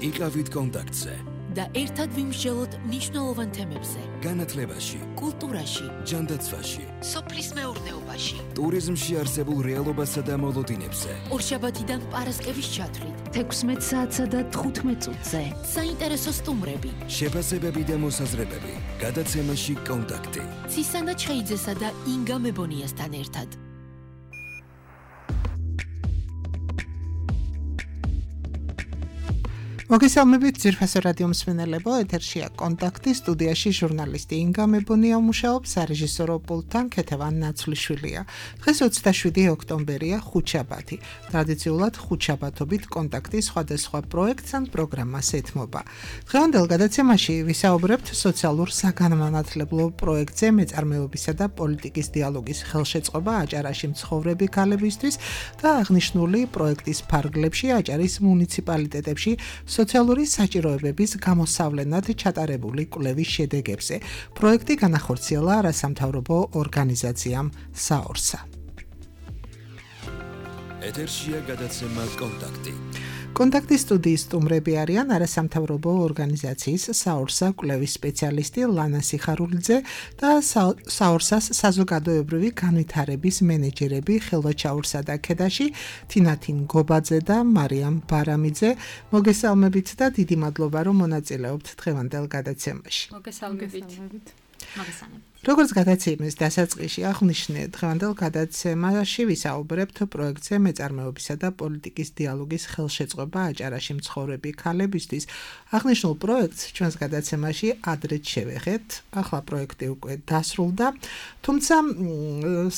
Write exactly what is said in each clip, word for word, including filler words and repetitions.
იყავით კონტაქტზე და ერთად ვიმსჯელოთ მნიშვნელოვან თემებზე. განათლებაში, კულტურაში, ჯანდაცვაში, სოფლის მეურნეობაში, ტურიზმში არსებულ რეალობასა და მოლოდინებზე. ორშაბათიდან პარასკევის ჩათვლით, თექვსმეტ საათსა და თხუთმეტ წუთზე. საინტერესო სტუმრები, შეფასებები და მოსაზრებები. გადაცემაში კონტაქტი. ცისანა ჩხეიძესა და ინგა მებონიასთან ერთად. მოგესალმებით ძირფასო რადიო მსმენელებო, ეთერშია კონტაქტი, სტუდიაში ჟურნალისტი ინგა მებონია მუშაობს, სარეჟისორო პულტთან ქეთევან ნაცვლიშვილია. დღეს ოცდაშვიდი ოქტომბერია, ხუთშაბათი. ტრადიციულად ხუთშაბათობით კონტაქტი სხვადასხვა პროექტს ან პროგრამას ეთმობა. დღევანდელ გადაცემაში ვისაუბრებთ სოციალურ საგანმანათლებლო პროექტზე მეწარმეობისა და პოლიტიკის დიალოგის ხელშეწყობა აჭარაში მცხოვრები ქალებისთვის და აღნიშნული პროექტის ფარგლებში აჭარის მუნიციპალიტეტებში სოციალური საჭიროებების გამოსავლენად ჩატარებული კვლევის შედეგებზე. პროექტი განახორციელა არასამთავრობო ორგანიზაციამ საორსა. ეთერშია გადაცემა კონტაქტი. კონტაქტის სტუდიის სტუმრები არიან არასამთავრობო ორგანიზაციის საორსა კვლევის სპეციალისტი ლანა სიხარულიძე და საორსას საზოგადოებრივი განვითარების მენეჯერები ხელვაჩაურსა და ქედაში თინათინ გობაძე და მარიამ ბარამიძე. მოგესალმებით და დიდი მადლობა რომ მონაწილეობთ დღევანდელ გადაცემაში. მოგესალმებით. როგორც გადაცემის დასაწყისში აღნიშნე, დღევანდელ გადაცემაში ვისაუბრებთ პროექტზე მეწარმეობისა და პოლიტიკის დიალოგის ხელშეწყობა აჭარაში მცხოვრები ქალებისთვის. აღნიშნულ პროექტს ჩვენს გადაცემაში ადრეც შევეხეთ, ახლა პროექტი უკვე დასრულდა, თუმცა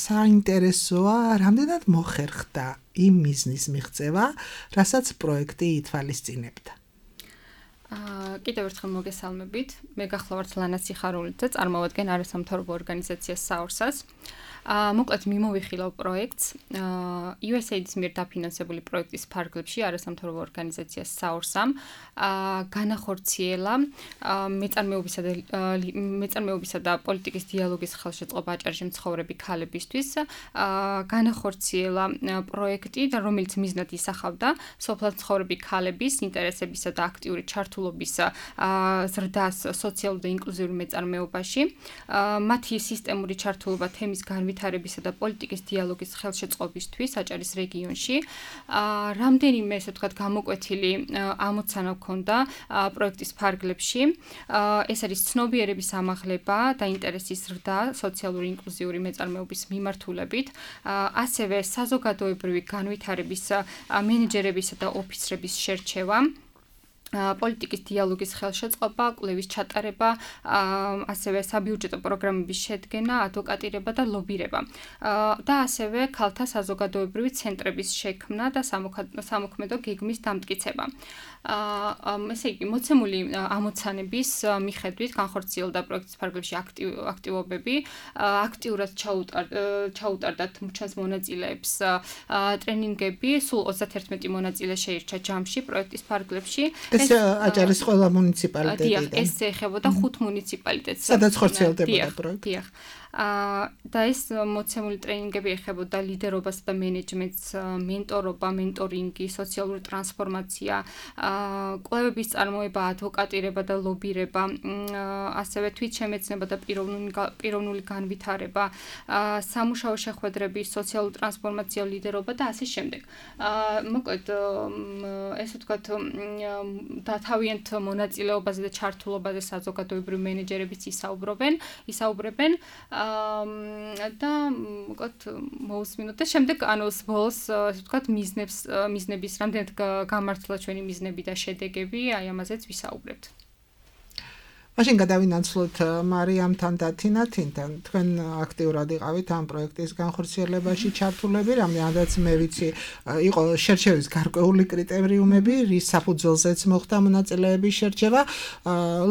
საინტერესოა, რამდენად მოხერხდა იმ მიზნის მიღწევა, რასაც პროექტი ითვალისწინებდა. კიდევ ერთხელ მოგესალმებით. მე გახლავართ ლანა სიხარულიძე, წარმოვადგენ არასამთავრობო ორგანიზაციას საორსას. მოკლედ მიმოვიხილავ პროექტს იუ ეს ეი-ის მიერ დაფინანსებული პროექტის ფარგლებში არასამთავრობო ორგანიზაციას საორსამ განახორციელა მეწარმეობისა და მეწარმეობისა და პოლიტიკის დიალოგის ხელშეწყობა აჭარაში მცხოვრები ქალებისთვის განახორციელა პროექტი და რომელიც მიზნად ისახავდა სოფლად მცხოვრები ქალების ინტერესებისა და აქტიური ჩართულობის ზრდას სოციალურ და ინკლუზიურ მეწარმეობაში მათი სისტემური ჩართულობა თემის განვითარებისა და პოლიტიკის დიალოგის ხელშეწყობისთვის აჭარის რეგიონში. რამდენიმე ესე ვთქვათ გამოკვეთილი ამოცანა ჰქონდა პროექტის ფარგლებში. ეს არის ცნობიერების ამაღლება და ინტერესის ზრდა სოციალური ინკლუზიური მეწარმეობის მიმართულებით, ასევე საზოგადოებრივი განვითარების მენეჯერებისა და ოფიცრების შერჩევა. პოლიტიკის დიალოგის ხელშეწყობა, კვლევის ჩატარება, ასევე საბიუჯეტო პროგრამების შედგენა, ადვოკატირება და ლობირება. და ასევე ქალთა საზოგადოებრივი ცენტრების შექმნა და სამოქმედო გეგმის დამტკიცება. ესე იგი, მოცემული ამოცანების მიხედვით განხორციელდა პროექტის ფარგლებში აქტივობები, აქტიურად ჩაუტარდათ ჩვენს მონაწილეებს ტრენინგები, სულ ოცდაერთმეტი მონაწილე შეირჩა ჯამში პროექტის ფარგლებში. ეს აჭარის ყველა მუნიციპალიტეტიდან. ეს ეხებოდა ხუთ მუნიციპალიტეტს. სადაც ხორციელდებოდა პროექტი. და ეს მოცემული ტრენინგები ეხებოდა ლიდერობას და მენეჯმენტს, მენტორობა, მენტორინგი, სოციალური ტრანსფორმაცია, კვლევების წარმოება, ადვოკატირება და ლობირება, ასევე თვითშემეცნება და პიროვნული განვითარება, სამუშაო შეხვედრები, სოციალური ტრანსფორმაცია, ლიდერობა და ასე შემდეგ. მოკლედ, ესე ვთქვათ, დათავიანთ მონაწილეობაზე და ჩართულობაზე საზოგადოებრივი მენეჯერებიც ისაუბრებენ, ისაუბრებენ და მოკლედ მოусმინოთ და შემდეგ ანუ ბოლოს ასე ვთქვათ მიზნებს მიზნების რამდენად გამართლა ჩვენი მიზნები და შედეგები, აი ამაზეც ვისაუბრებთ. მაშინ გადავინაცვლოთ მარიამთან და თინათინთან. თქვენ აქტიურად იყავით ამ პროექტის განხორციელებაში ჩართულები, რამდენადაც მე ვიცი, იყო შერჩევის გარკვეული კრიტერიუმები, რის საფუძველზეც მოხდა მონაწილეების შერჩევა.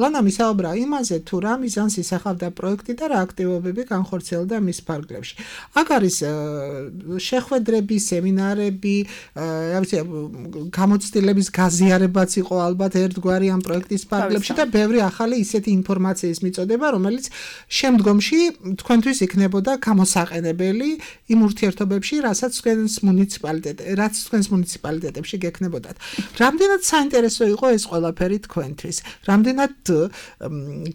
ლანა მისაუბრა იმაზე, თუ რა მიზანს ისახავდა პროექტი და რა აქტივობები განხორციელდა მის ფარგლებში. აქ არის შეხვედრები, სემინარები, რა ვიცი, გამოცდილების გაზიარებაც იყო ალბათ ერთგვარი ამ პროექტის ფარგლებში და ბევრი ახალი ისეთი ინფორმაციის მიწოდება, რომელიც შემდგომში თქვენთვის იქნებოდა გამოსაყენებელი იმ ურთიერთობებში, რასაც თქვენს მუნიციპალიტეტ, რაც თქვენს მუნიციპალიტეტებში გექნებოდათ. რამდენად საინტერესო იყო ეს ყველაფერი თქვენთვის? რამდენად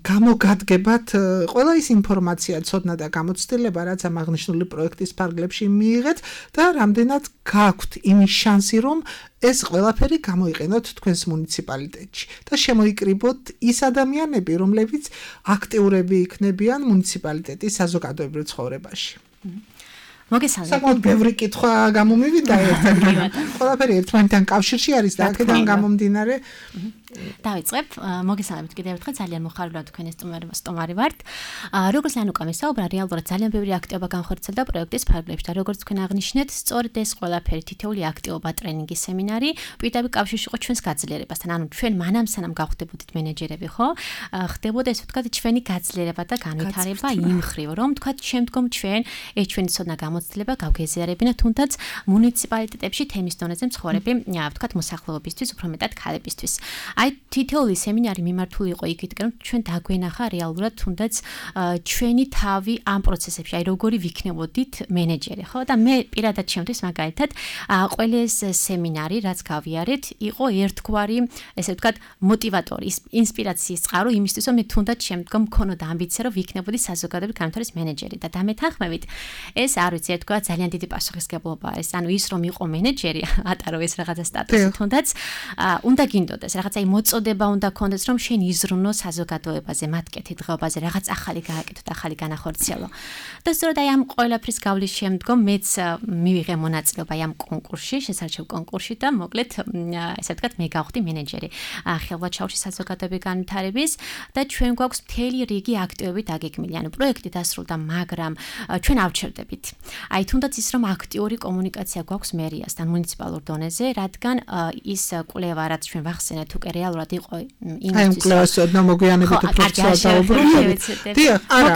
გამოგადგებათ ყველა ის ინფორმაცია, ცოდნა და გამოცდილება, რაც ამ აღნიშნული პროექტის ფარგლებში მიიღეთ და რამდენად გაქვთ იმის შანსი, რომ ეს ყველაფერი გამოიყენოთ თქვენს მუნიციპალიტეტში და შემოიკრიბოთ ის ადამიანები, რომლებიც აქტიურები იქნებიან მუნიციპალიტეტის საზოგადოებრივ ცხოვრებაში. მოგესალმებით. საკმაოდ ბევრი კითხვა გამომივიდა ერთად. ყველაფერი ერთმანეთთან კავშირში არის და აქედან გამომდინარე დავიწყებ. მოგესალმებით კიდევ ერთხელ, ძალიან მოხარული თქვენი სტუმარი ვართ. როგორც ლან უკან ვისაუბრა, რეალურად ძალიან ბევრი აქტივობა განხორციელდა პროექტის ფარგლებში და როგორც თქვენ აღნიშნეთ, სწორედ ეს ყველაფერი თითოეული აქტივობა, ტრენინგი, სემინარი პირდაპირ კავშირში იყო ჩვენს გაძლიერებასთან. ანუ ჩვენ მანამ სანამ გავხდებოდით მენეჯერები, ხო? ხდებოდა ესე ვთქვათ, ჩვენი გაძლიერება და განვითარება იმ ხრივ, რომ ვთქვათ, შემდგომ ჩვენ ეს ჩვენი ცოდნა გამოცდილება გავგეზიარებინა თუნდაც მუნიციპალიტეტებში თემის დონეზე მცხოვრები, ვთქვათ, მოსახლეობისთვის, უფრო მეტად ქალებისთვის. აი თითოეული სემინარი მიმართული იყო იქით, რომ ჩვენ დაგვენახა რეალურად თუნდაც ჩვენი თავი ამ პროცესებში, აი როგორი ვიქნებოდით მენეჯერი, ხო? და მე პირადად ჩემთვის მაგალითად ყველა ეს სემინარი, რაც გავიარეთ, იყო ერთგვარი, ესე ვთქვათ, მოტივატორი, ინსპირაციის წყარო იმისთვის, რომ მე თუნდაც შემდგომ მქონოდა ამბიცია, რომ ვიქნებოდი საზოგადოებრივი განვითარების მენეჯერი და დამეთანხმებით ეს არ ვიცი, ერთგვარ ძალიან დიდი პასუხისმგებლობა არის. ანუ ის რომ იყო მენეჯერი, ატარო ეს რაღაცა სტატუსი თუნდაც უნდა გინდოდეს, რაღაცა მოწოდება უნდა კონდეს, რომ შენ იზრუნო საზოგადოებაზე, მათ კეთილდღეობაზე, რაღაც ახალი გააკეთო და ახალი განახორციელო. და სწორედ აი ამ ყველაფრის გავლის შემდგომ მეც მივიღე მონაწილეობა ამ კონკურსში, შესარჩევ კონკურსში და მოკლედ ესე ვთქვათ, მე გავხდი მენეჯერი ხელვაჩაუში საზოგადოებრივი განვითარების და ჩვენ გვაქვს მთელი რიგი აქტივები დაგეგმილი. ანუ პროექტი დასრულდა, მაგრამ ჩვენ ავჩერდებით. აი თუნდაც ის რომ აქტიური კომუნიკაცია გვაქვს მერიასთან მუნიციპალურ დონეზე, რადგან ის კვლევა, რაც ჩვენ ვახსენეთ, უკვე რეალურად იყო იმისთვის. აი კვლევას ოდნავ მოგვიანებით უფრო ცოტა დაუბრუნდებით. დიახ, არა.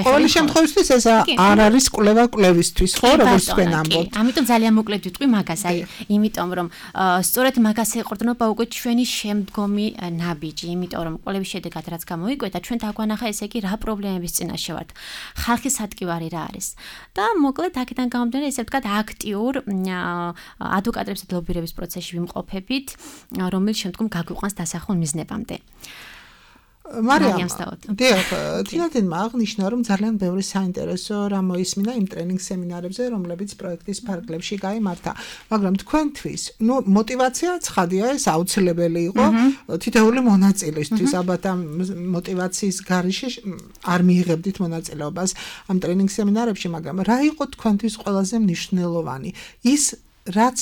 ყოველი შემთხვევაში ეს არ არის კვლევა კვლევისთვის, ხო, როგორც თქვენ ამბობთ. ამიტომ ძალიან მოკლედ ვიტყვი მაგას, აი, იმიტომ რომ სწორედ მაგას ეყრდნობა უკვე ჩვენი შემდგომი ნაბიჯი, იმიტომ რომ კვლევის შედეგად რაც გამოიკვეთა, ჩვენ დაგვანახა ესე იგი რა პრობლემების წინაშე ვართ. ხალხის ადგილარი რა არის. და მოკლედ აქედან გამომდინარე, ესე ვთქვათ, აქტიურ ადვოკატების ლობირების პროცესში ვიმყოფებით, რომელიც შემდგომ გაგვიყვანს დასახულ მიზნებამდე. მარიამ, დიახ, თინათინმა აღნიშნა, რომ ძალიან ბევრი საინტერესო რამ მოისმინა იმ ტრენინგ სემინარებზე, რომლებიც პროექტის ფარგლებში გაიმართა. მაგრამ თქვენთვის, ნუ мотиваცია ცხადია, ეს აუცილებელი იყო თითოეული მონაწილისთვის. ალბათ ამ мотиваციის გარეშე არ მიიღებდით მონაწილეობას ამ ტრენინგ სემინარებში, მაგრამ რა იყო თქვენთვის ყველაზე მნიშვნელოვანი? ის რაც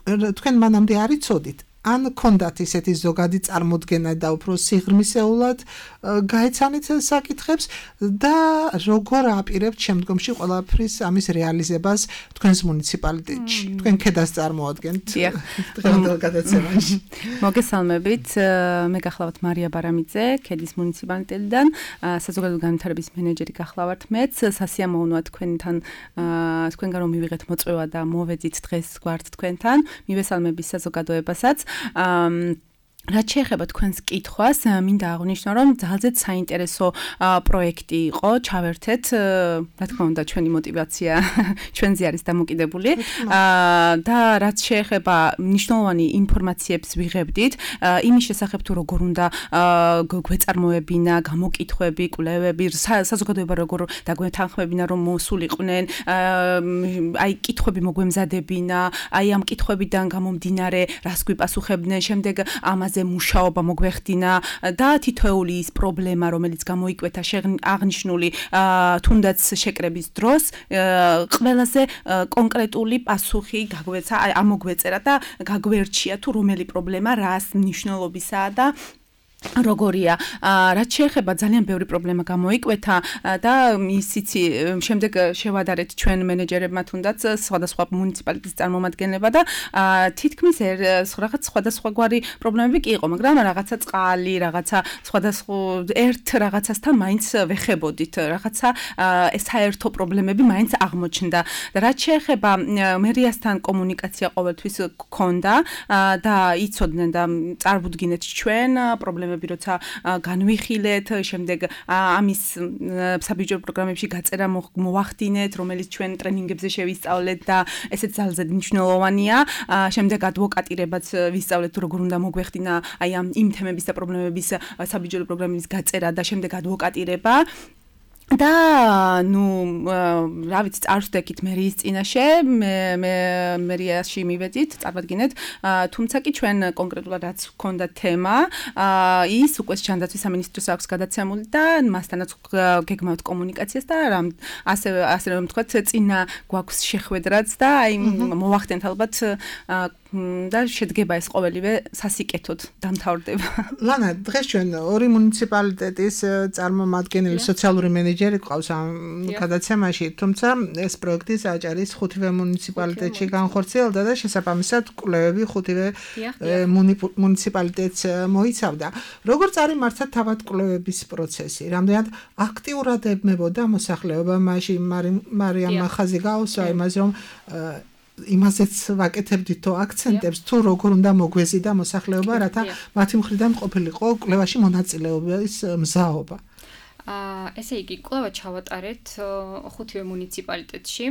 თქვენ მანამდე არ იცოდით, ან კონდათ ისეთი ზოგადი წარმოდგენა და უფრო სიღრმისეულად გაეცანით საკითხებს და როგორ აპირებთ შემდგომში ყველაფრის ამის რეალიზებას თქვენს მუნიციპალიტეტში. თქვენ ქედას წარმოადგენთ დღევანდელ გადაცემაში. მოგესალმებით, მე გახლავართ მარია ბარამიძე, ქედის მუნიციპალიტეტიდან, საზოგადოებრივი განვითარების მენეჯერი გახლავართ მეც, სასიამოვნოა თქვენთან, თქვენგან რომ მივიღეთ მოწვევა და მოვედით დღეს გვართ თქვენთან, მივესალმები საზოგადოებასაც. Um, რაც შეეხება თქვენს კითხვას, მინდა აღვნიშნო, რომ ძალზედ საინტერესო პროექტი იყო, ჩავერთეთ, რა თქმა უნდა, ჩვენი мотиваცია ჩვენზე არის დამოკიდებული და რაც შეეხება მნიშვნელოვანი ინფორმაციებს ვიღებდით, იმის შესახებ თუ როგორ უნდა გვეწარმოებინა, გამოკითხვები, კვლევები, საზოგადოება როგორ დაგვეთანხმებინა, რომ მოსულიყვნენ, აი კითხვები მოგვემზადებინა, აი ამ კითხვებიდან გამომდინარე, რას გვიპასუხებდნენ, შემდეგ ამას მუშაობა მოგვეხდინა და თითოეული ის პრობლემა, რომელიც გამოიკვეთა აღნიშნული თუნდაც შეკრების დროს, ყველაზე კონკრეტული პასუხი გაგვეცა, ამოგვეწერა და გაგვერჩია თუ რომელი პრობლემა რას მნიშვნელობისაა და როგორია, რაც შეეხება ძალიან ბევრი პრობლემა გამოიკვეთა და ისიც შემდეგ შევადარეთ ჩვენ მენეჯერებმა თუნდაც სხვადასხვა მუნიციპალიტეტის წარმომადგენლებმა და თითქმის რაღაც სხვადასხვაგვარი პრობლემები კი იყო, მაგრამ რაღაცა წყალი, რაღაცა სხვადასხვა ერთ რაღაცასთან მაინც ვეხებოდით, რაღაცა საერთო პრობლემები მაინც აღმოჩნდა. და რაც შეეხება მერიასთან კომუნიკაცია ყოველთვის გქონდა და იცოდნენ და წარვუდგინეთ ჩვენ პრობლემები პრობლემები როცა განვიხილეთ, შემდეგ ამის საბიუჯეტო პროგრამებში გაწერა მოვახდინეთ, რომელიც ჩვენ ტრენინგებზე შევისწავლეთ და ესეც ძალზედ მნიშვნელოვანია. შემდეგ ადვოკატირებაც ვისწავლეთ, თუ როგორ უნდა მოგვეხდინა აი ამ იმ თემების და პრობლემების საბიუჯეტო პროგრამების გაწერა და შემდეგ ადვოკატირება. და ნუ რა ვიცი წარსვდექით მერიის წინაშე მე მე მერიაში მივედით წარმოგიდგენთ თუმცა კი ჩვენ კონკრეტულად რაც გქონდა თემა ის უკვე ჯანდაცვის სამინისტროს აქვს გადაცემული და მასთანაც გეგმავთ კომუნიკაციას და რა ასე ასე რომ ვთქვათ წინა გვაქვს შეხვედრაც და აი მოვახდენთ ალბათ და შედგება ეს ყოველივე სასიკეთოდ დამთავრდება. ლანა, დღეს ჩვენ ორი მუნიციპალიტეტის წარმომადგენელი სოციალური მენეჯერი ყავს ამ გადაცემაში, თუმცა ეს პროექტი საჭარის ხუთივე მუნიციპალიტეტში განხორციელდა და შესაბამისად კვლევები ხუთივე მუნიციპალიტეტს მოიცავდა. როგორ წარიმართა თავად კვლევების პროცესი? რამდენად აქტიურად ებმებოდა მოსახლეობა მაშინ მარიამ ხაზი გაუსვა იმას რომ იმაზეც ვაკეთებდით თუ აქცენტებს თუ როგორ უნდა მოგვეზიდა მოსახლეობა რათა მათი მხრიდან ყოფილიყო კვლევაში მონაწილეობის მზაობა. აა ესე იგი კვლევა ჩავატარეთ ხუთივე მუნიციპალიტეტში.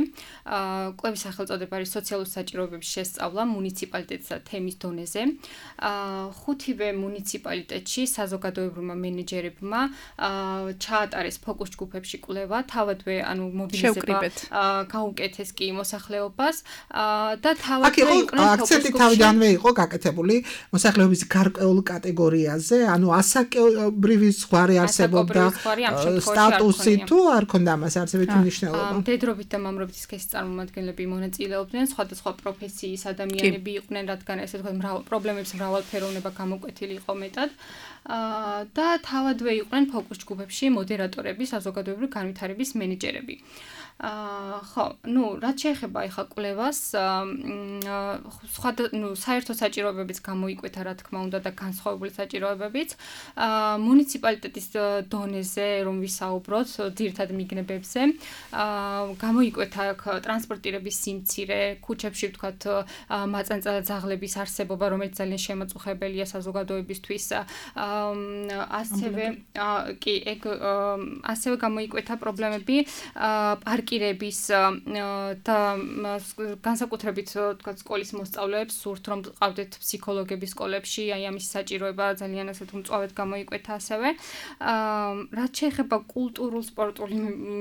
აა კვლევის სახელწოდება არის სოციალური საჭიროებების შესწავლა მუნიციპალიტეტსა თემის დონეზე. აა ხუთივე მუნიციპალიტეტში საზოგადოებრივმა მენეჯერებმა აა ჩაატარეს ფოკუს ჯგუფებში კვლევა, თავადვე ანუ მობილიზება აა გაუკეთეს კი მოსახლეობას აა და თავადვე იყვნენ აქცენტი თავიდანვე იყო გაკეთებული მოსახლეობის გარკვეულ კატეგორიაზე, ანუ ასაკობრივი ზღვარი არსებობდა სტატუსი თუ არ ქონდა მას არსებითი მნიშვნელობა. მდედრობით და მამრობით სქესის წარმომადგენლები მონაწილეობდნენ, სხვადასხვა პროფესიის ადამიანები იყვნენ, რადგან ესე ვთქვათ, მრავალ პრობლემებს მრავალფეროვნება გამოკვეთილი იყო მეტად. და თავადვე იყვნენ ფოკუს ჯგუფებში მოდერატორები, საზოგადოებრივი განვითარების მენეჯერები. აა ხო, ну, რაც შეეხება ახლა კვლევას, სხვა ну, საერთო საჭიროებებიც გამოიკვეთა, რა თქმა უნდა, და განსხვავებული საჭიროებებიც. აა მუნიციპალიტეტის დონეზე რომ ვისაუბროთ, ძირითად მიგნებებზე, აა გამოიკვეთა ტრანსპორტირების სიმცირე, ქუჩებში ვთქვათ, მაწანწა ძაღლების არსებობა, რომელიც ძალიან შემაწუხებელია საზოგადოებისთვის. აა ასევე კი, ეგ ასევე გამოიკვეთა პრობლემები აა პარკირების და განსაკუთრებით თქვა სკოლის მოსწავლეებს სურთ რომ ყავდეთ ფსიქოლოგების სკოლებში, აი ამის საჭიროება ძალიან ასეთ უმწვავედ გამოიკვეთა ასევე. რაც შეეხება კულტურულ სპორტული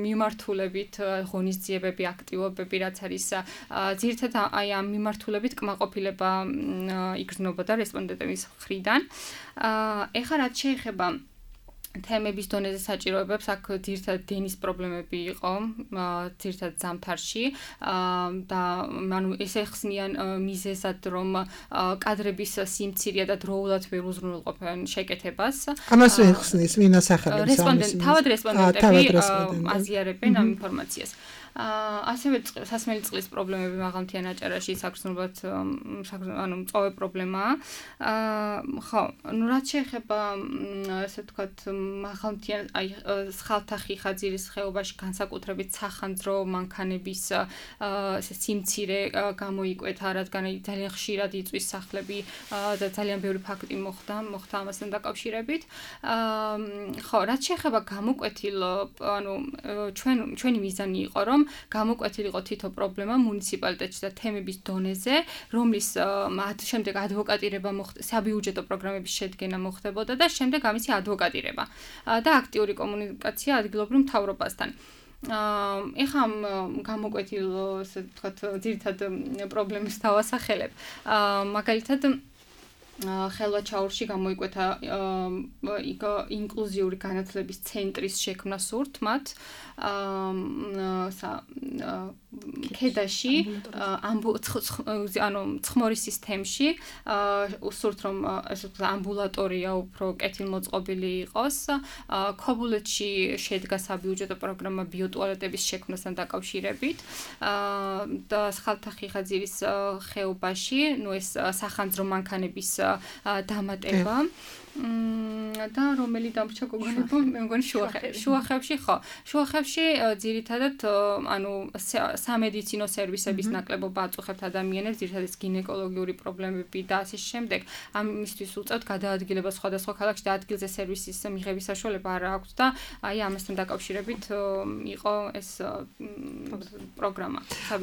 მიმართულებით ღონისძიებები, აქტივობები, რაც არის ძირითადად აი ამ მიმართულებით კმაყოფილება იგრძნობოდა რესპონდენტების მხრიდან. ეხლა რაც შეეხება თემების დონეზე საჭიროებებს, აქ ძირითადად დენის პრობლემები იყო, ძირითადად ზამთარში და ანუ ეს ეხსნიან მიზეზად, რომ კადრების სიმცირეა და დროულად ვერ უზრუნველყოფენ შეკეთებას. ამას ეხსნის ვინ ასახელებს? რესპონდენტ, თავად რესპონდენტები აზიარებენ ამ ინფორმაციას. ასევე სასმელი წყლის პრობლემები მაღალმთიან აჭარაში საგრძნობლად ანუ მწვავე პრობლემაა. ხო, ну რაც შეეხება ასე ვთქვათ მაღალმთიან აი სხალთახი ხაძირის ხეობაში განსაკუთრებით სახანძრო მანქანების ესე სიმცირე გამოიკვეთა, რადგან ძალიან ხშირად იწვის სახლები და ძალიან ბევრი ფაქტი მოხდა, მოხდა ამასთან დაკავშირებით. ხო, რაც შეეხება გამოკვეთილ ანუ ჩვენ ჩვენი მიზანი იყო რომ გამოკვეთილიყო თითო პრობლემა მუნიციპალიტეტში და თემების დონეზე, რომლის შემდეგ ადვოკატირება მოხდა, საბიუჯეტო პროგრამების შედგენა მოხდებოდა და შემდეგ ამისი ადვოკატირება და აქტიური კომუნიკაცია ადგილობრივ მთავრობასთან. ეხლა ამ გამოკვეთილ ასე ვთქვათ ძირითად პრობლემებს დავასახელებ. მაგალითად ხელვაჩაურში გამოიკვეთა ინკლუზიური განათლების ცენტრის შექმნა სურთ მათ ქედაში ანუ ცხმორის სისტემში სურთ რომ ასე ვთქვათ ამბულატორია უფრო კეთილმოწყობილი იყოს. ქობულეთში შედგა საბიუჯეტო პროგრამა ბიოტუალეტების შექმნასთან დაკავშირებით და სხალთახი ხაძირის ხეობაში, ну ეს სახანძრო მანქანების დამატება. და რომელი დამრჩა გოგონებო მე მგონი შუახევში ხო შუახევში ძირითადად ანუ სამედიცინო სერვისების ნაკლებობა აწუხებთ ადამიანებს ძირითადად გინეკოლოგიური პრობლემები და ასე შემდეგ ამისთვის უწევთ გადაადგილება სხვადასხვა ქალაქში და ადგილზე სერვისის მიღების საშუალება არ აქვს და აი ამასთან დაკავშირებით იყო ეს პროგრამა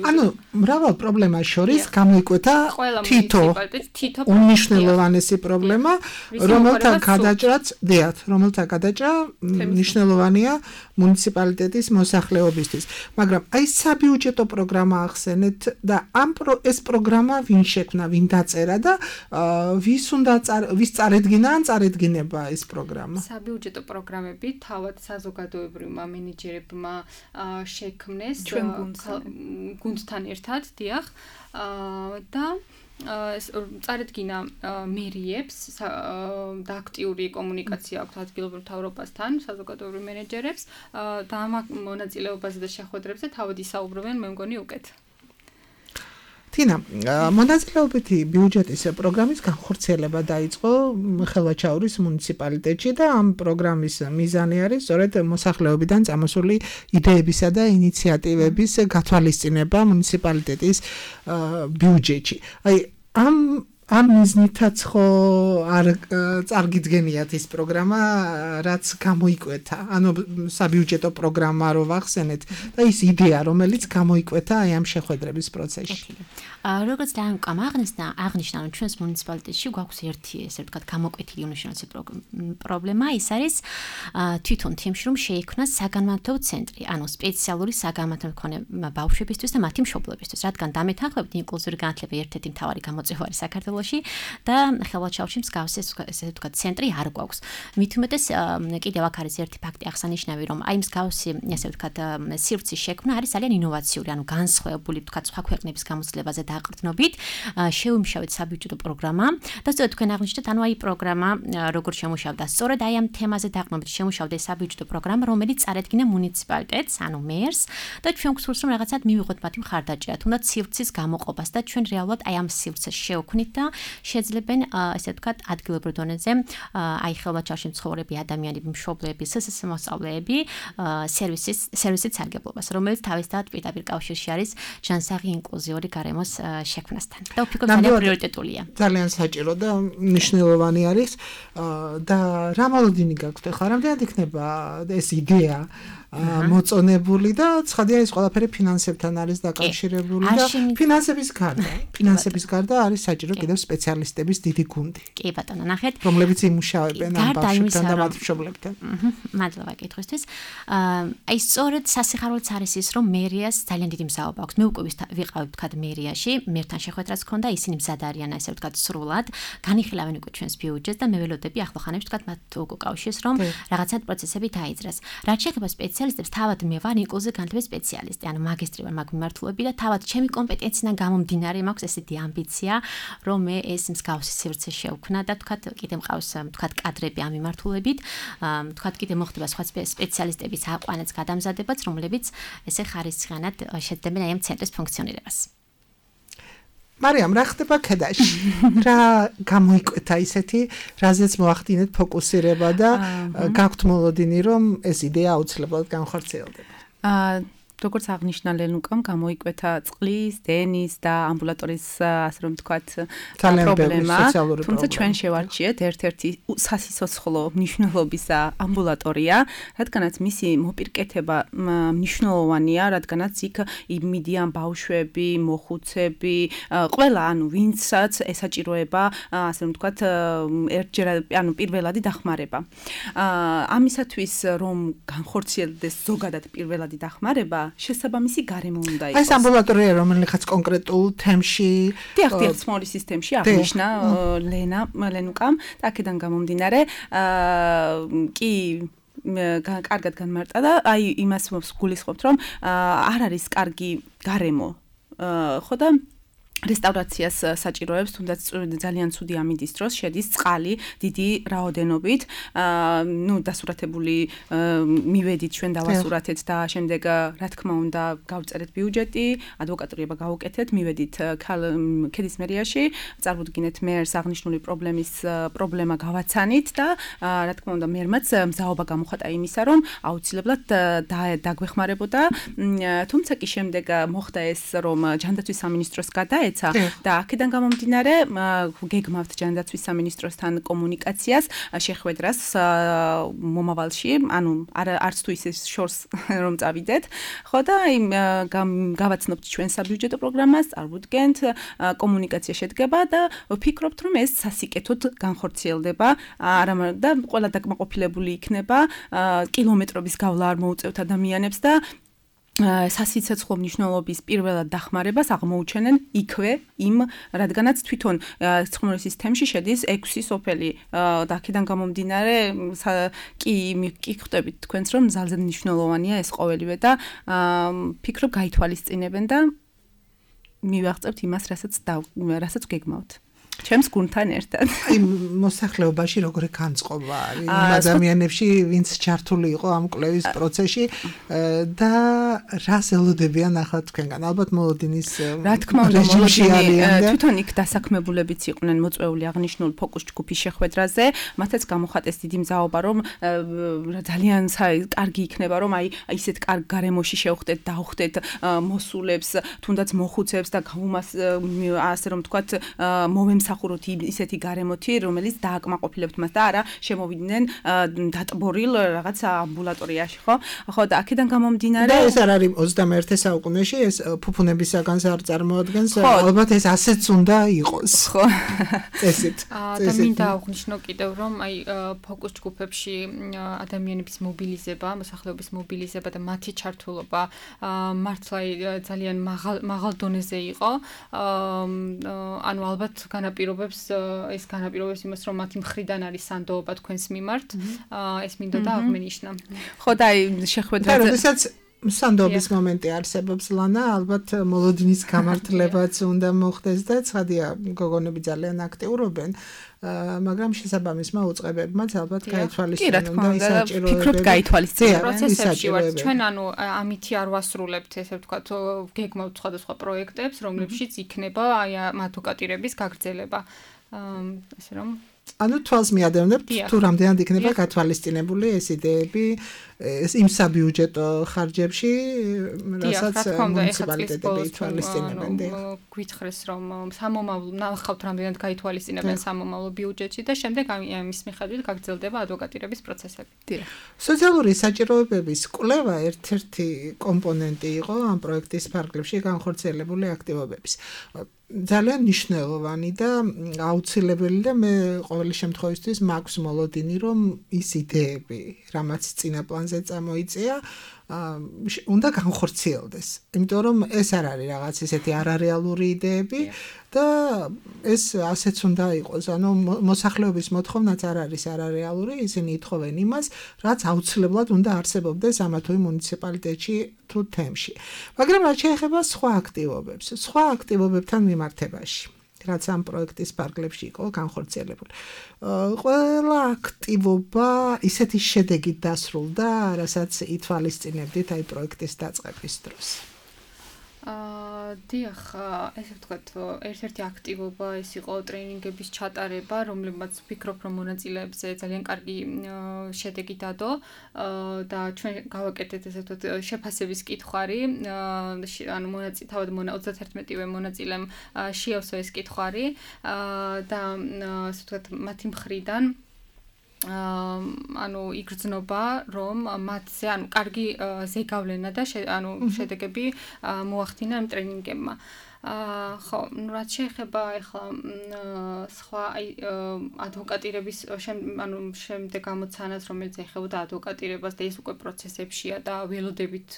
ანუ მრავალ პრობლემას შორის გამოიკვეთა თითო უნიშნელოვანესი პრობლემა რომელთა გადაჭრაც დიახ, რომელთა გადაჭრა მნიშვნელოვანია მუნიციპალიტეტის მოსახლეობისთვის. მაგრამ აი საბიუჯეტო პროგრამა ახსენეთ და ამ ეს პროგრამა ვინ შექმნა, ვინ დაწერა და ვის უნდა ვის წარედგინა ან წარედგინება ეს პროგრამა? საბიუჯეტო პროგრამები თავად საზოგადოებრივმა მენეჯერებმა შექმნეს გუნდთან ერთად, დიახ. და წარედგინა მერიებს და აქტიური კომუნიკაცია აქვს ადგილობრივ მთავრობასთან, საზოგადოებრივ მენეჯერებს და ამ მონაწილეობაზე და შეხვედრებზე თავად ისაუბრებენ, მე მგონი უკეთ. თინა, მონაწილეობითი ბიუჯეტის პროგრამის განხორციელება დაიწყო ხელვაჩაურის მუნიციპალიტეტში და ამ პროგრამის მიზანი არის სწორედ მოსახლეობიდან წამოსული იდეებისა და ინიციატივების გათვალისწინება მუნიციპალიტეტის ბიუჯეტში. აი ამ ამ მიზნითაც ხო არ წარგიდგენიათ ეს პროგრამა რაც გამოიკვეთა ანუ საბიუჯეტო პროგრამა რო ვახსენეთ და ის იდეა რომელიც გამოიკვეთა აი ამ შეხვედრების პროცესში როგორც დაამკვამ აღნიშნა აღნიშნა რომ ჩვენს მუნიციპალიტეტში გვაქვს ერთი ესე ვთქვათ გამოკვეთილი უნიშნელესი პრობლემა ის არის თვითონ თემში რომ შეიქმნას საგანმანათლებლო ცენტრი ანუ სპეციალური საგანმანათლებლო მქონე ბავშვებისთვის და მათი მშობლებისთვის რადგან დამეთანხმებით ინკლუზიური განათლება ერთ-ერთი მთავარი გამოწვევა არის საქართველოში და ხელვაჩაურში მსგავსი ესე ვთქვათ ცენტრი არ გვაქვს მით უმეტეს კიდევ აქ არის ერთი ფაქტი აღსანიშნავი რომ აი მსგავსი ესე ვთქვათ სივრცის შექმნა არის ძალიან ინოვაციური ანუ განსხვავებული ვთქვათ სხვა ქვეყნების გამოცდილებაზე დაყრდნობით შეუმშავეთ საბიუჯეტო პროგრამა და სწორედ თქვენ აღნიშნეთ ანუ აი პროგრამა როგორ შემუშავდა სწორედ აი ამ თემაზე დაყრდნობით შემუშავდა საბიუჯეტო პროგრამა რომელიც წარედგინა მუნიციპალიტეტს ანუ მერს და ჩვენ გვსურს რომ რაღაცად მივიღოთ მათი მხარდაჭერა თუნდაც სივრცის გამოყოფას და ჩვენ რეალურად აი ამ სივრცეს შევქმნით და შეძლებენ ესე ვთქვათ ადგილობრივ დონეზე აი ხელვაჩაურში მცხოვრები ადამიანები მშობლები სსს მოსწავლეები სერვისის სერვისით სარგებლობას რომელიც თავისთავად პირდაპირ კავშირში არის ჯანსაღი ინკლუზიური გარემოს შექმნასთან და ვფიქრობ ძალიან პრიორიტეტულია ძალიან საჭირო და მნიშვნელოვანი არის და რა მოლოდინი გაქვთ ახლა რამდენად იქნება ეს იდეა მოწონებული და ცხადია ის ყველაფერი ფინანსებთან არის დაკავშირებული და ფინანსების გარდა ფინანსების გარდა არის საჭირო კიდევ სპეციალისტების დიდი გუნდი. კი ბატონო, ნახეთ. რომლებიც იმუშავებენ ამ ბავშვებთან და მათ მშობლებთან. მადლობა კითხვისთვის. აი სწორედ სასიხარულოც არის ის რომ მერიას ძალიან დიდი მზაობა აქვს. მე უკვე ვიყავი თქვა მერიაში, მერთან შეხვედრაც ჰქონდა, ისინი მზად არიან ესე ვთქვა სრულად, განიხილავენ უკვე ჩვენს ბიუჯეტს და მე ველოდები ახლო ხანებში თქვა მათ უკვე კავშირს რომ რაღაცა პროცესები დაიძრას. რაც შეეხება სპეციალისტებს, თავად მე ვარ ინკლუზიური განათლების სპეციალისტი, ანუ მაგისტრი ვარ მაგ მიმართულები და თავად ჩემი კომპეტენციიდან გამომდინარე მაქვს ესეთი ამბიცია, რომ მე ეს მსგავსი სივრცე შევქმნა და თქვა კიდე მყავს თქვა კადრები ამ მიმართულებით, თქვა კიდე მოხდება სხვა სპეციალისტების აყვანაც გადამზადებაც, რომლებიც ესე ხარისხიანად შეძლებენ აი ამ ცენტრის ფუნქციონირებას. მარიამ, რა ხდება ქედაში? რა გამოიკვეთა ისეთი, რაზეც მოახდინეთ ფოკუსირება და გაქვთ მოლოდინი, რომ ეს იდეა აუცილებლად განხორციელდება? აა როგორც აღნიშნა ლენუკამ, გამოიკვეთა წყლის, დენის და ამბულატორიის, ასე რომ ვთქვათ, პრობლემა. თუმცა ჩვენ შევარჩიეთ ერთ-ერთი სასიცოცხლო მნიშვნელობის ამბულატორია, რადგანაც მისი მოპირკეთება მნიშვნელოვანია, რადგანაც იქ იმიდიან ბავშვები, მოხუცები, ყველა, ანუ ვინცაც ესაჭიროება, ასე რომ ვთქვათ, ერთჯერ ანუ პირველადი დახმარება. ამისათვის რომ განხორციელდეს ზოგადად პირველადი დახმარება შესაბამისი გარემო უნდა იყოს. ეს ამბულატორია რომელიღაც კონკრეტულ თემში, დიახ, დიახ, სმოლის სისტემში აღნიშნა ლენა, ლენუკამ, და აქედან გამომდინარე, აა კი კარგად განმარტა და აი იმას გულისხმობთ, რომ არ არის კარგი გარემო. ხო და რესტავრაციას საჭიროებს, თუნდაც ძალიან ცუდი ამინდის დროს შედის წყალი დიდი რაოდენობით. აა ნუ დასურათებული მივედით ჩვენ დავასურათეთ და შემდეგ რა თქმა უნდა გავწერეთ ბიუჯეტი, ადვოკატურება გავუკეთეთ, მივედით ქედის მერიაში, წარმოდგინეთ მერს აღნიშნული პრობლემის პრობლემა გავაცანით და რა თქმა უნდა მერმაც მზაობა გამოხატა იმისა, რომ აუცილებლად დაგვეხმარებოდა. თუმცა კი შემდეგ მოხდა ეს, რომ ჯანდაცვის სამინისტროს გადაეცა და აქედან გამომდინარე გეგმავთ ჯანდაცვის სამინისტროსთან კომუნიკაციას შეხვედრას მომავალში, ანუ არც თუ ისე შორს რომ წავიდეთ, ხო და იმ გავაცნობთ ჩვენ საბიუჯეტო პროგრამას, წარვუდგენთ, კომუნიკაცია შედგება და ვფიქრობთ, რომ ეს სასიკეთოდ განხორციელდება, არა და ყველა დაკმაყოფილებული იქნება, კილომეტრების გავლა არ მოუწევთ ადამიანებს და სასიცოცხლო მნიშვნელობის პირველად დახმარებას აღმოუჩენენ იქვე იმ, რადგანაც თვითონ ცხმორისის თემში შედის ექვსი სოფელი და აქედან გამომდინარე კი კი ხვდებით თქვენს რომ ძალზე მნიშვნელოვანია ეს ყოველივე და ფიქრობ გაითვალისწინებენ და მივაღწევთ იმას, რასაც რასაც გეგმავთ. ჩემს გუნდთან ერთად. აი მოსახლეობაში როგორი განწყობა არის იმ ადამიანებში, ვინც ჩართული იყო ამ კვლევის პროცესში და რას ელოდებიან ახლა თქვენგან? ალბათ მოლოდინის რა თქმა უნდა მოლოდინი თვითონ იქ დასაქმებულებიც იყვნენ მოწვეული აღნიშნულ ფოკუს ჯგუფის შეხვედრაზე, მათაც გამოხატეს დიდი მზაობა, რომ ძალიან კარგი იქნება, რომ აი ისეთ კარგ გარემოში შევხვდეთ, დავხვდეთ მოსულებს, თუნდაც მოხუცებს და გავუმას ასე რომ თქვათ მოვემს სახუროთ ისეთი გარემოთი, რომელიც დააკმაყოფილებთ მას და არა შემოვიდნენ დატბორილ რაღაც ამბულატორიაში, ხო? ხო და აქედან გამომდინარე და ეს არ არის ოცდამეერთე საუკუნეში, ეს ფუფუნებისაგან არ წარმოადგენს, ალბათ ეს ასეც უნდა იყოს. ხო. წესით. და მინდა აღვნიშნო კიდევ, რომ აი ფოკუს ჯგუფებში ადამიანების მობილიზება, მოსახლეობის მობილიზება და მათი ჩართულობა მართლა ძალიან მაღალ მაღალ დონეზე იყო. ანუ ალბათ განაპირობებს ეს განაპირობებს იმას, რომ მათი მხრიდან არის სანდოობა თქვენს მიმართ. ეს მინდა და აღმენიშნა. ხო და აი შეხვედრაზე როდესაც სანდოობის მომენტი არსებობს ლანა, ალბათ მოლოდინის გამართლებაც უნდა მოხდეს და ცხადია გოგონები ძალიან აქტიურობენ. მაგრამ შესაბამისმა უწყებებმაც ალბათ გაითვალისწინონ და ისაჭიროებები. ფიქრობთ გაითვალისწინონ პროცესებში ვართ. ჩვენ ანუ ამითი არ ვასრულებთ, ესე ვთქვათ, გეგმავთ სხვადასხვა პროექტებს, რომლებშიც იქნება აი მათ უკატირების გაგრძელება. ესე რომ ანუ თვალს მიადევნებთ თუ რამდენად იქნება გათვალისწინებული ეს იდეები იმ საბიუჯეტო ხარჯებში, რასაც მუნიციპალიტეტები ითვალისწინებენ. გვითხრეს რომ სამომავლო ნახავთ რამდენად გაითვალისწინებენ სამომავლო ბიუჯეტში და შემდეგ ამის მიხედვით გაგრძელდება ადვოკატირების პროცესები. სოციალური საჭიროებების კვლევა ერთ-ერთი კომპონენტი იყო ამ პროექტის ფარგლებში განხორციელებული აქტივობების. ძალიან მნიშვნელოვანი და აუცილებელი და მე ყოველი შემთხვევისთვის მაქვს მოლოდინი, რომ ის იდეები, რამაც წინა პლანზე წამოიწია, უნდა განხორციელდეს. იმიტომ რომ ეს არ არის რაღაც ისეთი არარეალური იდეები და ეს ასეც უნდა იყოს. ანუ მოსახლეობის მოთხოვნაც არ არის არარეალური, ისინი ითხოვენ იმას, რაც აუცილებლად უნდა არსებობდეს ამა თუ იმ მუნიციპალიტეტში თუ თემში. მაგრამ რაც შეეხება სხვა აქტივობებს, სხვა აქტივობებთან მიმართებაში, რაც ამ პროექტის ფარგლებში იყო განხორციელებული. ყველა აქტივობა ისეთი შედეგით დასრულდა, რასაც ითვალისწინებდით აი პროექტის დაწყების დროს. აა დიახ, ესე ვთქვათ, ერთ-ერთი აქტივობა ეს იყო ტრენინგების ჩატარება, რომლებმაც ვფიქრობ, რომ მონაწილეებზე ძალიან კარგი შედეგი დადო და ჩვენ გავაკეთეთ ესე ვთქვათ შეფასების კითხვარი, ანუ მონაწილე თავად ოცდაერთმეტივე მონაწილემ შეავსო ეს კითხვარი და ესე ვთქვათ მათი მხრიდან ანუ იგრძნობა რომ მათზე ანუ კარგი ზეგავლენა და ანუ შედეგები მოახდინა ამ ტრენინგებმა. აა ხო, ну რაც შეეხება ახლა სხვა აი ადვოკატირების ანუ შემდეგ გამოცანას, რომელიც ეხებოდა ადვოკატირებას და ის უკვე პროცესებშია და ველოდებით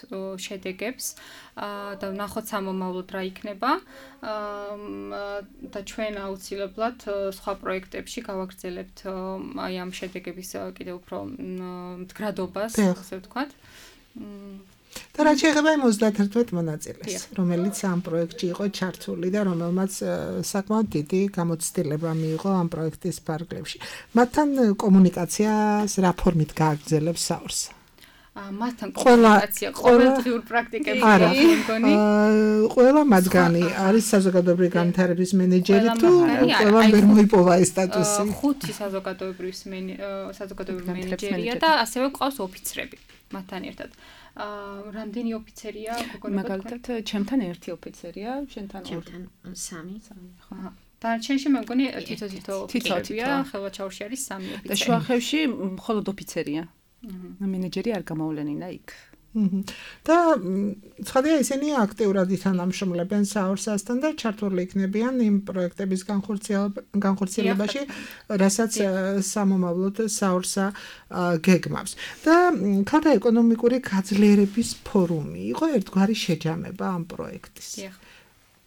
შედეგებს აა და ნახოთ სამომავლოდ რა იქნება. აა და ჩვენ აუცილებლად სხვა პროექტებში გავაგრძელებთ აი ამ შედეგების კიდევ უფრო მდგრადობას, ასე ვთქვათ. და რაც შეეხება იმ ოცდაათერთმეტ მონაწილეს, რომელიც ამ პროექტში იყო ჩართული და რომელმაც საკმაოდ დიდი გამოცდილება მიიღო ამ პროექტის ფარგლებში. მათთან კომუნიკაციას რა ფორმით გააგრძელებს საორსა? მათთან კომუნიკაცია ყოველდღიურ პრაქტიკებში მგონი. ყველა მათგანი არის საზოგადოებრივი განვითარების მენეჯერი თუ ყველა ვერ მოიპოვა ეს სტატუსი? ხუთი საზოგადოებრივი საზოგადოებრივი მენეჯერია და ასევე ყავს ოფიცრები მათთან ერთად. რამდენი ოფიცერია გოგონა? მაგალითად, ჩემთან ერთი ოფიცერია, შენთან ორი. ჩემთან სამი. ხო. დანარჩენში მე მგონი თითო-თითო ოფიცერია, ხელვაჩაურში არის სამი ოფიცერი. და შუახევში მხოლოდ ოფიცერია. მენეჯერი არ გამოვლენინა იქ. და ცხადია ისინი აქტიურად ითანამშრომლებენ საორსასთან და ჩართული იქნებიან იმ პროექტების განხორციელებაში, რასაც სამომავლოდ საორსა გეგმავს. და ქალთა ეკონომიკური გაძლიერების ფორუმი იყო ერთგვარი შეჯამება ამ პროექტის.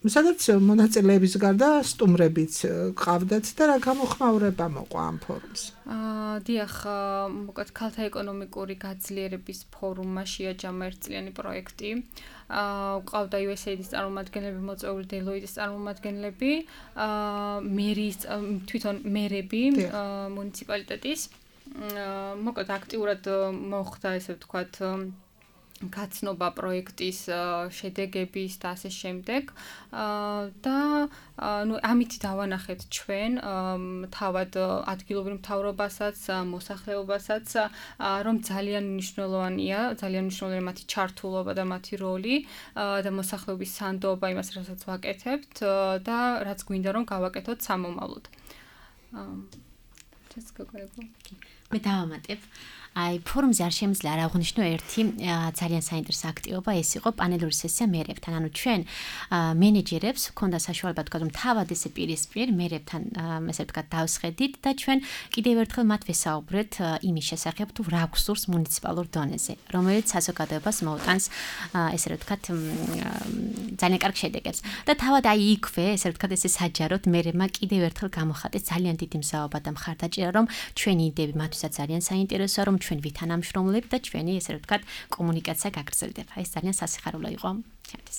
სადაც მონაწილეების გარდა სტუმრებიც ყავდათ და რა გამოხმაურება მოყვა ამ ფორუმს? აა დიახ, მოკლედ ქალთა ეკონომიკური გაძლიერების ფორუმმა შეაჯამა ერთწლიანი პროექტი. აა ყავდა იუ ეს ეი-ის წარმომადგენლები, მოწვეული დელოიტის წარმომადგენლები, აა მერის თვითონ მერები მუნიციპალიტეტის. მოკლედ აქტიურად მოხდა ესე ვთქვათ გაცნობა პროექტის შედეგების და ასე შემდეგ და ნუ ამით დავანახეთ ჩვენ თავად ადგილობრივ მთავრობასაც, მოსახლეობასაც, რომ ძალიან მნიშვნელოვანია, ძალიან მნიშვნელოვანია მათი ჩართულობა და მათი როლი და მოსახლეობის სანდოობა იმას, რასაც ვაკეთებთ და რაც გვინდა რომ გავაკეთოთ სამომავლოდ. ეს გაგონებო. მე დავამატებ. აი ფორუმზე არ შემიძლია არ აღვნიშნო ერთი ძალიან საინტერესო აქტივობა, ეს იყო პანელური სესია მერებთან. ანუ ჩვენ მენეჯერებს ჰქონდა საშუალება თქვა რომ თავად ესე პირისპირ მერებთან ესე ვთქვათ დავსხედით და ჩვენ კიდევ ერთხელ მათ ვესაუბრეთ იმის შესახებ თუ რა გვსურს მუნიციპალურ დონეზე, რომელიც საზოგადოებას მოუტანს ესე ვთქვათ ძალიან კარგ შედეგებს. და თავად აი იქვე ესე ვთქვათ ესე საჯაროდ მერებმა კიდევ ერთხელ გამოხატეს ძალიან დიდი მზაობა და მხარდაჭერა, რომ ჩვენი იდეები მათთვისაც ძალიან საინტერესოა, რომ ჩვენ ვითანამშრომლებთ და ჩვენი ესე ვთქვათ კომუნიკაცია გაგრძელდება. ეს ძალიან სასიხარულო იყო ჩემთვის.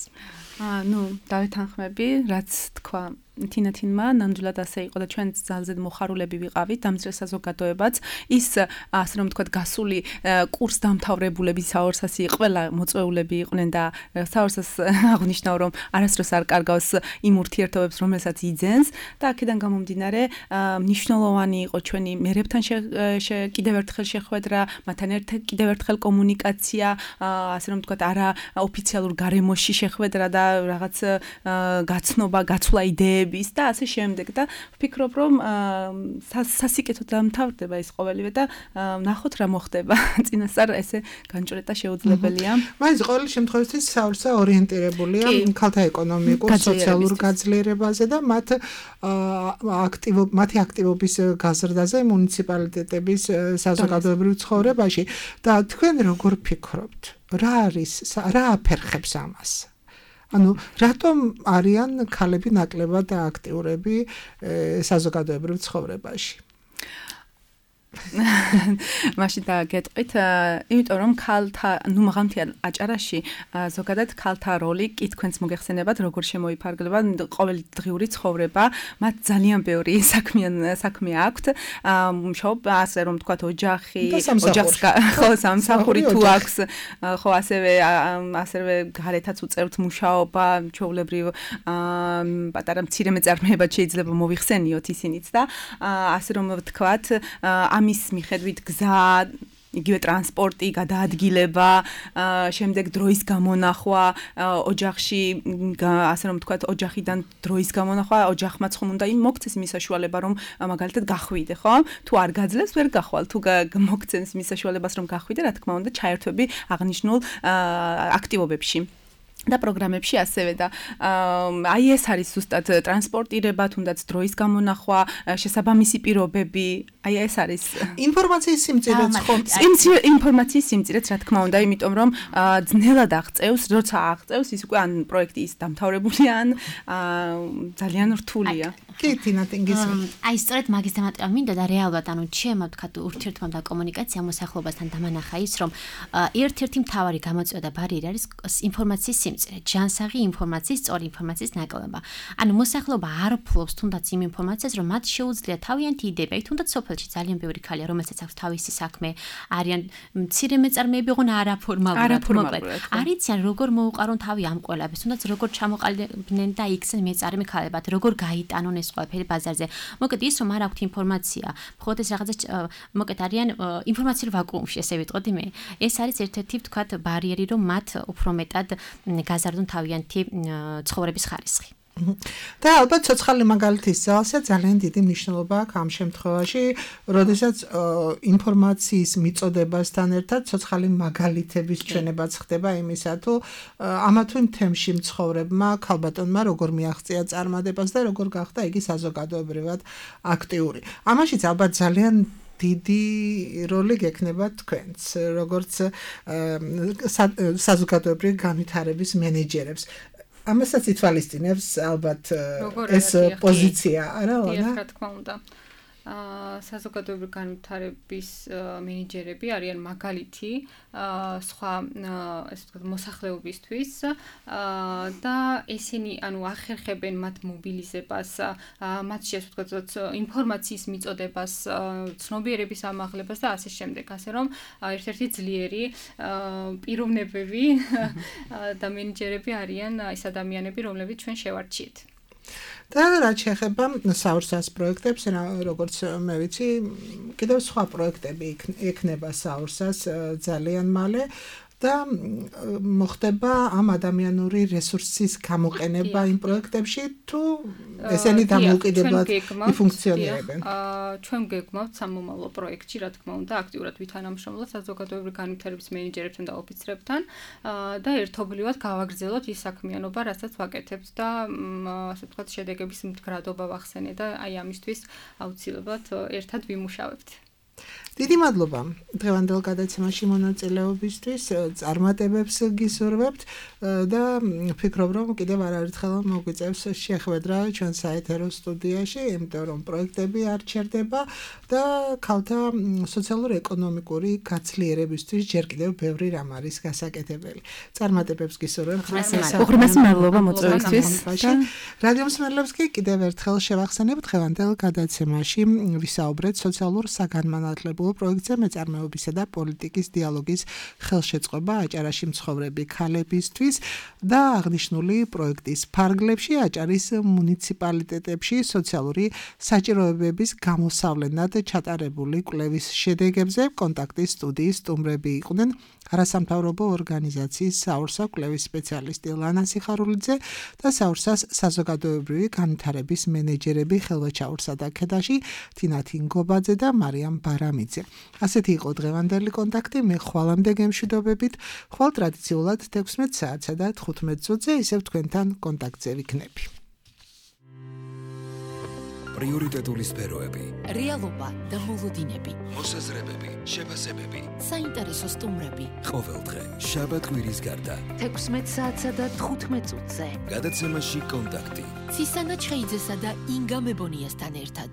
აა ნუ დავეთანხმები, რაც თქვა თინათინმა, ნამდვილად ასე იყო და ჩვენ ძალზედ მოხარულები ვიყავით დამძრე საზოგადოებაც. ის ასე რომ ვთქვათ გასული კურს დამთავრებულები საორსასი ყველა მოწვეულები იყვნენ და საორსას აღნიშნავ რომ არასდროს არ კარგავს იმ ურთიერთობებს, რომელსაც იძენს და აქედან გამომდინარე მნიშვნელოვანი იყო ჩვენი მერებთან კიდევ ერთხელ შეხვედრა, მათთან ერთად კიდევ ერთხელ კომუნიკაცია, ასე რომ ვთქვათ არა ოფიციალურ გარემოში შეხვედრა და რაღაც გაცნობა, გაცვლა იდეები და ასე შემდეგ და ვფიქრობ რომ სასიკეთოდ დამთავრდება ეს ყოველივე და ნახოთ რა მოხდება. წინასწარ ესე განჭრეტა შეუძლებელია. მაინც ყოველ შემთხვევაში საორსა ორიენტირებულია ქალთა ეკონომიკურ, სოციალურ გაძლიერებაზე და მათ აქტივ მათი აქტივობის გაზრდაზე მუნიციპალიტეტების საზოგადოებრივ ცხოვრებაში და თქვენ როგორ ფიქრობთ? რა არის რა აფერხებს ამას? ანუ რატომ არიან ქალები ნაკლებად აქტიურები საზოგადოებრივ ცხოვრებაში? მაშინ დაგეტყვით, იმიტომ რომ ქალთა, ნუ მაღალმთიან აჭარაში ზოგადად ქალთა როლი კი თქვენს მოგეხსენებათ, როგორ შემოიფარგლება ყოველდღიური ცხოვრება, მათ ძალიან ბევრი საქმიან საქმე აქვთ, მუშაობა, ასე რომ თქვათ ოჯახი, ოჯახს ხო სამსახური თუ აქვს, ხო ასევე ასევე გარეთაც უწევთ მუშაობა, ჩვეულებრივ პატარა მცირე მეწარმეებად შეიძლება მოიხსენიოთ ისინიც და ასე რომ ვთქვათ, ამის მიხედვით გზა, იგივე ტრანსპორტი, გადაადგილება, შემდეგ დროის გამონახვა, ოჯახში, ასე რომ ვთქვათ, ოჯახიდან დროის გამონახვა, ოჯახმაც ხომ უნდა იმ მოქცეს იმის საშუალება, რომ მაგალითად გახვიდე, ხო? თუ არ გაძლევს, ვერ გახვალ, თუ მოგცემს იმის საშუალებას, რომ გახვიდე, რა თქმა უნდა, ჩაერთვები აღნიშნულ აქტივობებში. და პროგრამებში ასევე და აი ეს არის ზუსტად ტრანსპორტირება, თუნდაც დროის გამონახვა, შესაბამისი პირობები, აი ეს არის ინფორმაციის სიმწირეც ხომ ინფორმაციის სიმწირეც რა თქმა უნდა, იმიტომ რომ ძნელად აღწევს, როცა აღწევს ის უკვე ან პროექტი ის დამთავრებულია, ან ძალიან რთულია. კი, თინა თინგის. აი სწორედ მაგის თემატიკა მინდა და რეალურად ანუ ჩემო თქვა ურთიერთობა და კომუნიკაცია მოსახლეობასთან დამანახა ის რომ ერთ-ერთი მთავარი გამოწვევა და ბარიერი არის ინფორმაციის სიმწირე, ჯანსაღი ინფორმაციის, სწორი ინფორმაციის ნაკლებობა. ანუ მოსახლეობა არ ფლობს თუნდაც იმ ინფორმაციას, რომ მათ შეუძლია თავიანთი იდეები, თუნდაც სოფელში ძალიან ბევრი ქალია, რომელსაც აქვს თავისი საქმე, არიან მცირე მეწარმეები, ოღონ არაფორმალურად, მოკლედ. არიციან როგორ მოუყარონ თავი ამ ყველაფერს, თუნდაც როგორ ჩამოყალიბდნენ და იქცენ მეწარმე ქალებად, როგორ გაიტანონ ეს ყველაფერი ბაზარზე. მოკლედ ის რომ არ აქვთ ინფორმაცია, მხოლოდ ეს რაღაცა მოკლედ არიან ინფორმაციურ ვაკუუმში, ესე ვიტყოდი მე. ეს არის ერთ-ერთი ვთქვათ ბარიერი, რომ მათ უფრო მეტად გაზარდონ თავიანთი ცხოვრების ხარისხი. და ალბათ ცოცხალი მაგალითის ძალზე ძალიან დიდი მნიშვნელობა აქვს ამ შემთხვევაში, როდესაც ინფორმაციის მიწოდებასთან ერთად ცოცხალი მაგალითების ჩვენებაც ხდება იმისა, თუ ამა თუ იმ თემში მცხოვრებმა ქალბატონმა როგორ მიაღწია წარმატებას და როგორ გახდა იგი საზოგადოებრივად აქტიური. ამაშიც ალბათ ძალიან დიდი როლი გექნება თქვენს, როგორც საზოგადოებრივი განვითარების მენეჯერებს. ამასაც ითვალისწინებს ალბათ ეს პოზიცია, არა, ლანა? რა თქმა უნდა. აა საზოგადოებრივი განვითარების მენეჯერები არიან მაგალითი სხვა ესე ვთქვათ მოსახლეობისთვის და ესენი ანუ ახერხებენ მათ მობილიზებას, მათში ესე ვთქვათ ინფორმაციის მიწოდებას, ცნობიერების ამაღლებას და ასე შემდეგ, ასე რომ ერთ-ერთი ძლიერი პიროვნებები და მენეჯერები არიან ის ადამიანები, რომლებიც ჩვენ შევარჩიეთ. და რაც შეეხება საურსას პროექტებს, როგორც მე ვიცი, კიდევ სხვა პროექტები ექნება საურსას ძალიან მალე და მოხდება ამ ადამიანური რესურსის გამოყენება იმ პროექტებში, თუ ესენი დამოუკიდებლად იფუნქციონირებენ. ჩვენ გეგმავთ სამომავლო პროექტში, რა თქმა უნდა, აქტიურად ვითანამშრომლოთ საზოგადოებრივი განვითარების მენეჯერებთან და ოფიცრებთან და ერთობლივად გავაგრძელოთ ის საქმიანობა, რასაც ვაკეთებთ და ასე ვთქვათ, შედეგების მდგრადობა ვახსენე და აი ამისთვის აუცილებლად ერთად ვიმუშავებთ. დიდი მადლობა დღევანდელ გადაცემაში მონაწილეობისთვის, წარმატებებს გისურვებთ და ვფიქრობ, რომ კიდევ არაერთხელ მოგვიწევს შეხვედრა ჩვენ საეთერო სტუდიაში, იმიტომ რომ პროექტები არ ჩერდება და ქალთა სოციალურ-ეკონომიკური გაცლიერებისთვის ჯერ კიდევ ბევრი რამ არის გასაკეთებელი. წარმატებებს გისურვებთ. უღრმესი მადლობა მოწვევისთვის. რადიო მსმენელებს კი კიდევ ერთხელ შევახსენებ დღევანდელ გადაცემაში ვისაუბრეთ სოციალურ საგანმანათლებლო პროექტზე მეწარმეობისა და პოლიტიკის დიალოგის ხელშეწყობა აჭარაში მცხოვრები ქალებისთვის და აღნიშნული პროექტის ფარგლებში აჭარის მუნიციპალიტეტებში სოციალური საჭიროებების გამოსავლენად ჩატარებული კვლევის შედეგებზე კონტაქტის სტუდიის სტუმრები იყვნენ არასამთავრობო ორგანიზაციის საურსა კვლევის სპეციალისტი ლანა სიხარულიძე და საურსას საზოგადოებრივი განვითარების მენეჯერები ხელვაჩაურსა და ქედაში თინა თინგობაძე და მარიამ ბარამიძე. ასეთი იყო დღევანდელი კონტაქტი, მე ხვალამდე გემშვიდობებით, ხვალ ტრადიციულად თექვსმეტ საათსა და თხუთმეტ წუთზე ისევ თქვენთან კონტაქტზე ვიქნები. პრიორიტეტული სფეროები, რეალობა და მოლოდინები, მოსაზრებები, შეფასებები, საინტერესო სტუმრები. ყოველდღე შაბათ-კვირის გარდა თექვსმეტ საათსა და თხუთმეტ წუთზე. გადაცემაში კონტაქტი. ცისანა ჩხეიძესა და ინგა მებონიასთან ერთად.